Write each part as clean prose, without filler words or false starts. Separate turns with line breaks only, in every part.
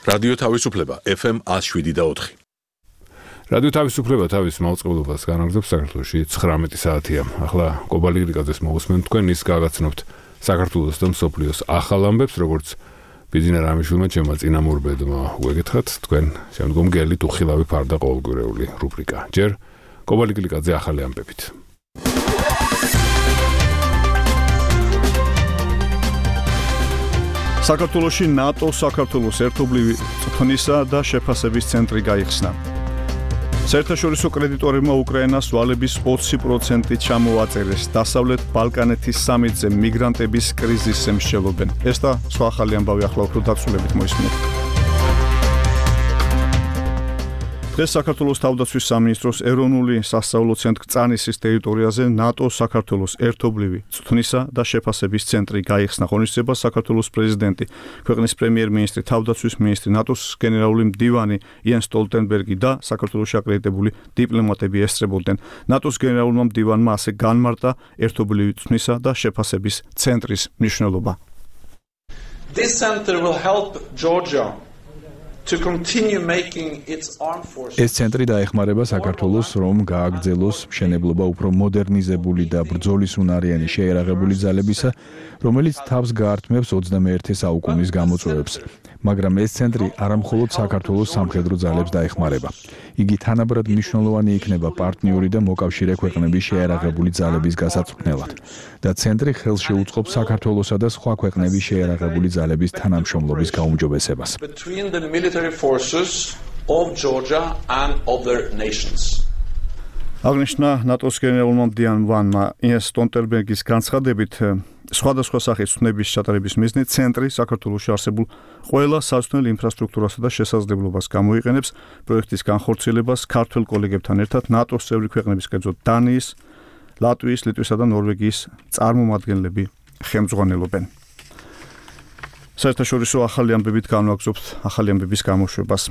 რადიო თავისუფლება FM 107.4.
რადიო თავისუფლება თავის მაუწყებლობას განაგრძობს საქართველოში 19 საათია. ახლა კობალი გრიგაძეს მოგესმენთ თქვენ ის გაგაცნობთ საქართველოს და მსოფლიოს ახალ ამბებს, როგორც ბიზნეს რამიშვილმა ჩემმა წინამორბედმა უეგეთხათ თქვენ შემდგომ გელით უხილავი ფარდა ყოველგვარეული რუბრიკა. ჯერ კობალი გრიგაძე ახალი ამბებით.
საქართველოში ნატო საქართველოს ერთობლივი წვრთნისა და შეფასების ცენტრი გაიხსნა. საერთაშორისო კრედიტორებმა უკრაინას ვალების 20% ჩამოაწერეს. დასავლეთ ბალკანეთის სამიტზე მიგრანტების კრიზისზე მსჯელობენ. ეს და სხვა ახალი ამბავი ახლა უფრო დაწვრილებით მოისმინეთ. დღეს საქართველოს თავდაცვის სამინისტროს ეროვნული სასწავლო ცენტრ წანისის ტერიტორიაზე ნატო საქართველოს ერთობლივი წვრთნისა და შეფასების ცენტრი გაიხსნა. ღონისძიებას საქართველოს პრეზიდენტი, ქვეყნის პრემიერ-მინისტრი, თავდაცვის მინისტრი, ნატოს გენერალური მდივანი იენს სტოლტენბერგი და საქართველოში აკრედიტებული დიპლომატები ესწრებოდნენ. ნატოს გენერალურმა მდივანმა ასე განმარტა ერთობლივი წვრთნისა და შეფასების ცენტრის მნიშვნელობა.
This center will help Georgia to continue making its armed forces.
ეს ცენტრი დაეხმარება საქართველოს, რომ გააგრძელოს მშენებლობა უფრო მოდერნიზებული და ბრძოლისუნარიანი შეერაღებული ძალებისა, რომელიც თავს გაართმევს 21 საუკუნის გამოწვევებს. მაგრამ ეს ცენტრი არამხოლოდ საქართველოს სამხედრო ძალებს დაეხმარება. იგი თანაბრად მნიშვნელოვანი იქნება პარტნიორი და მოკავშირე ქვეყნების შეერაღებული ძალების გასაწვრთნელად და ცენტრი ხელს შეუწყობს საქართველოსა და სხვა ქვეყნების შეერაღებული ძალების თანამშრომლობის გაუმჯობესებას.
Between the military forces of Georgia and other nations.
აღნიშნა ნატოს გენერალურმა მდივანმა იენს სტოლტენბერგის განცხადებით, სხვადასხვა სახის ცნების ჩატარების მიზნით ცენტრი საქართველოში არსებულ ყველა საზღვაო ინფრასტრუქტურასა და შესაძლებლობას გამოიყენებს პროექტის განხორციელებას ქართველ კოლეგებთან ერთად ნატოს წევრი ქვეყნების, კერძოდ დანიის, ლატვიის, ლიტვისა და ნორვეგიის წარმომადგენლები ხელმძღვანელობენ. საერთაშორისო ახალი ამბებით განვაგრძობთ ახალი ამბების გამოშვებას.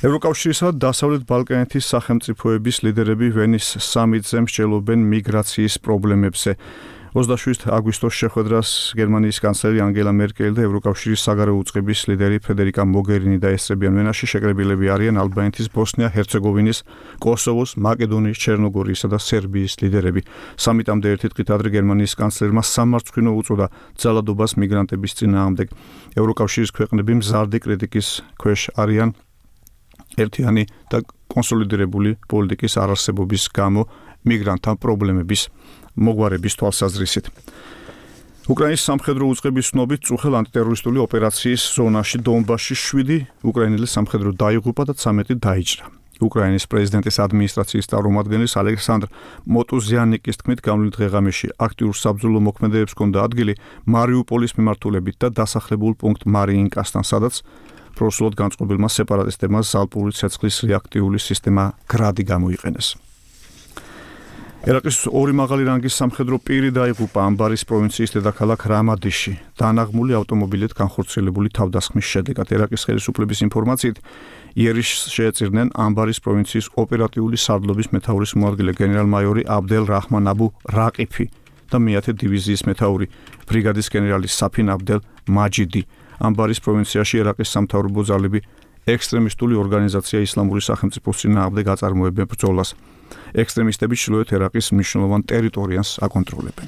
ევროკავშირისა და დასავლეთ ბალკანეთის სახელმწიფოების ლიდერები ვენის სამიტზე მსჯელობენ მიგრაციის პრობლემებზე. 27 აგვისტოს შეხვედრას გერმანიის კანცლერი ანგელა მერკელი და ევროკავშირის საგარეო უწყების ლიდერი ფედერიკა მოგერინი დაესწრებიან. ვენაში შეკრებილები არიან ალბანეთის, ბოსნია-ჰერცეგოვინის, კოსოვოს, მაკედონიის, ჩერნოგორიისა და სერბიის ლიდერები. სამიტამდე ერთი დღით ადრე გერმანიის კანცლერმა სამარცხვინო უწოდა ძალადობას მიგრანტების წინააღმდეგ. ევროკავშირის ქვეყნები მზარდი კრიტიკის ქვეშ არიან ერთიანი და კონსოლიდირებული პოლიტიკის არარსებობის გამო მიგრანტთა პრობლემების მოგვარების თვალსაზრისით. უკრაინის სამხედრო უწყების ცნობით წუხელ ანტიტერორისტული ოპერაციის ზონაში დონბასში 7 უკრაინელი სამხედრო დაიღუპა და 13 დაიჭრა. უკრაინის პრეზიდენტის ადმინისტრაციის წარმომადგენლის ალექსანდრ მოტუზიანიკის თქმით, გამოვლინდ ღეღამეში აქტიურ საბრძოლო მოქმედებებს ჰქონდა ადგილი მარიუპოლის მიმართულებით და დასახლებულ პუნქტ მარიინკასთან, სადაც პროსულად განწყობილმა სეპარატისტებმა ზალპური ცეცხლის რეაქტიული სისტემა გრადი გამოიყენეს. ერაყის ორი მაღალი რანგის სამხედრო პირი დაიღუპა ამბარის პროვინციის დედაქალაქ რამადიში დანაღმული ავტომობილით განხორციელებული თავდასხმის შედეგად. ერაყის ხელისუფლების ინფორმაციით, იერიშს შეეწირნენ ამბარის პროვინციის ოპერატიული სარდლობის მეთაურის მოადგილე გენერალ-მაიორი აბდელ რაჰმან აბუ რაყიფი და მეათე დივიზიის მეთაური ბრიგადის გენერალი საფინ აბდელ მაჯიდი. ამბარის პროვინციაში ერაყის სამთავრობო ძალები ექსტრემისტული ორგანიზაცია ისლამური სახელმწიფოს წინააღმდეგ აწარმოებენ ბრძოლას. ექსტრემისტები ჩრდილოეთ ერაყის მნიშვნელოვან ტერიტორიას აკონტროლებენ.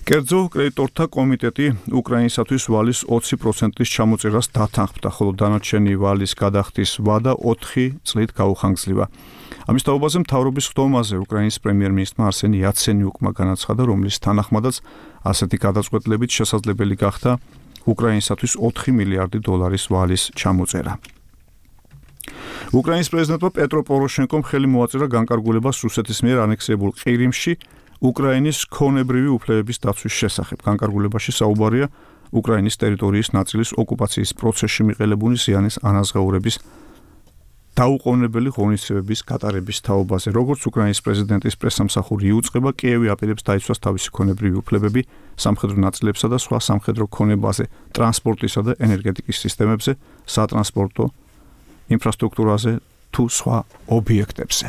კერძო კრედიტორთა კომიტეტი უკრაინისათვის ვალის 20%-ის ჩამოწერას დათანხმდა, ხოლო დანარჩენი ვალის გადახდის ვადა 4 წლით გაუხანგძლივა. ამის თაობაზე მთავრობის ხდომაზე უკრაინის პრემიერ-მინისტრმა არსენი იაცენიუკმა განაცხადა, რომლის თანახმადაც ასეთი გადაწყვეტილებით შესაძლებელი გახდა უკრაინისათვის 4 მილიარდი დოლარის ვალის ჩამოწერა. უკრაინის პრეზიდენტმა პეტრო პოროშენკომ ხელი მოაწერა განკარგულებას რუსეთის მიერ ანექსებულ ყირიმში უკრაინის ქონებრივი უფლებების დაცვის შესახებ. განკარგულებაში საუბარია უკრაინის ტერიტორიის ნაწილის ოკუპაციის პროცესში მიყოლებული ზიანის ანაზღაურების დაუყოვნებელი ღონისძიებების გატარების თაობაზე. როგორც უკრაინის პრეზიდენტის პრესამსახური იუწყება, კიევი აპირებს დაიცვას თავისი ქონებრივი უფლებები სამხედრო ნაწილებსა და სხვა სამხედრო ქონებაზე, ტრანსპორტისა და ენერგეტიკის სისტემებზე, სატრანსპორტო ინფრასტრუქტურაზე თუ სხვა ობიექტებზე.